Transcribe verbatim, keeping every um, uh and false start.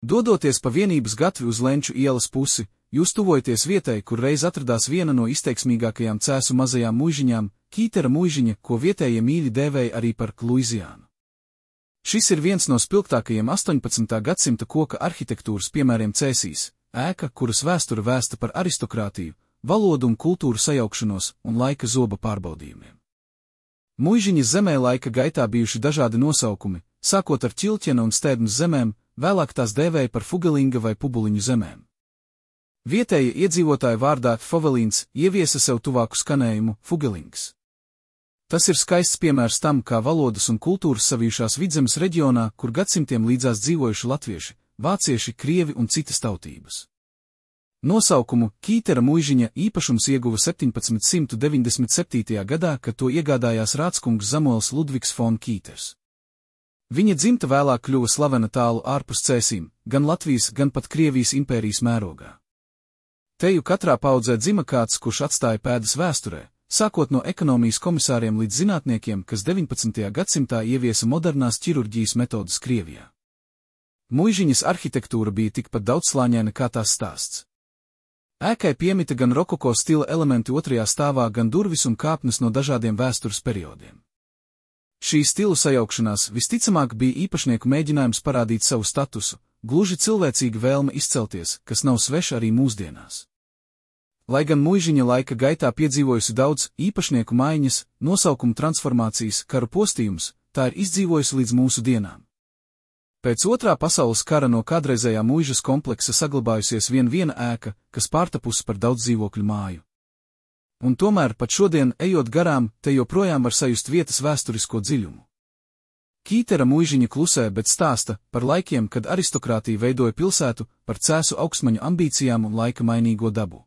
Dodoties pa Vienības gatvi uz Lenču ielas pusi, jūs tuvojaties vietai, kur reiz atradās viena no izteiksmīgākajām Cēsu mazajām muižiņām, Kītera muižiņa, ko vietējie mīļi dēvēja arī par Luiziānu. Šis ir viens no spilgtākajiem astoņpadsmitā gadsimta koka arhitektūras piemēriem Cēsīs, ēka, kuras vēsture vēsta par aristokrātiju, valodu un kultūru sajaukšanos un laika zoba pārbaudījumiem. Muižiņas zemē laika gaitā bijuši dažādi nosaukumi, sākot ar Ķilķena un Stēdnas zemēm, vēlāk tās dēvēja par Fugelinga vai Pubuliņu zemēm. Vietēja iedzīvotāja vārdā Fovelīns ieviesa sev tuvāku skanējumu Fugelings. Tas ir skaists piemērs tam, kā valodas un kultūras savijušās Vidzemes reģionā, kur gadsimtiem līdzās dzīvojuši latvieši, vācieši, krievi un citas tautības. Nosaukumu Kītera muižiņa īpašums ieguva septiņpadsmit deviņdesmit septītajā gadā, kad to iegādājās rādskungs Samuels Ludvigs fon Kīters. Viņa dzimta vēlāk kļuva slavena tālu ārpus Cēsīm, gan Latvijas, gan pat Krievijas impērijas mērogā. Teju katrā paudzē dzima kāds, kurš atstāja pēdas vēsturē, sākot no ekonomijas komisāriem līdz zinātniekiem, kas deviņpadsmitajā gadsimtā ieviesa modernās ķirurģijas metodas Krievijā. Muižiņas arhitektūra bija tikpat daudzslāņaina kā tās stāsts. Ēkai piemita gan rokoko stila elementi otrajā stāvā, gan durvis un kāpnes no dažādiem vēstures periodiem. Šī stilu sajaukšanās visticamāk bija īpašnieku mēģinājums parādīt savu statusu, gluži cilvēcīga vēlme izcelties, kas nav sveša arī mūsdienās. Lai gan muižiņa laika gaitā piedzīvojusi daudz īpašnieku maiņas, nosaukumu transformācijas, karu postījumus, tā ir izdzīvojusi līdz mūsu dienām. Pēc otrā pasaules kara no kādreizējā muižas kompleksa saglabājusies vien viena ēka, kas pārtapusi par daudz dzīvokļu māju. Un tomēr pat šodien, ejot garām, te joprojām var sajust vietas vēsturisko dziļumu. Kītera muižiņa klusē, bet stāsta par laikiem, kad aristokrātija veidoja pilsētu, par Cēsu augstmaņu ambīcijām un laika mainīgo dabu.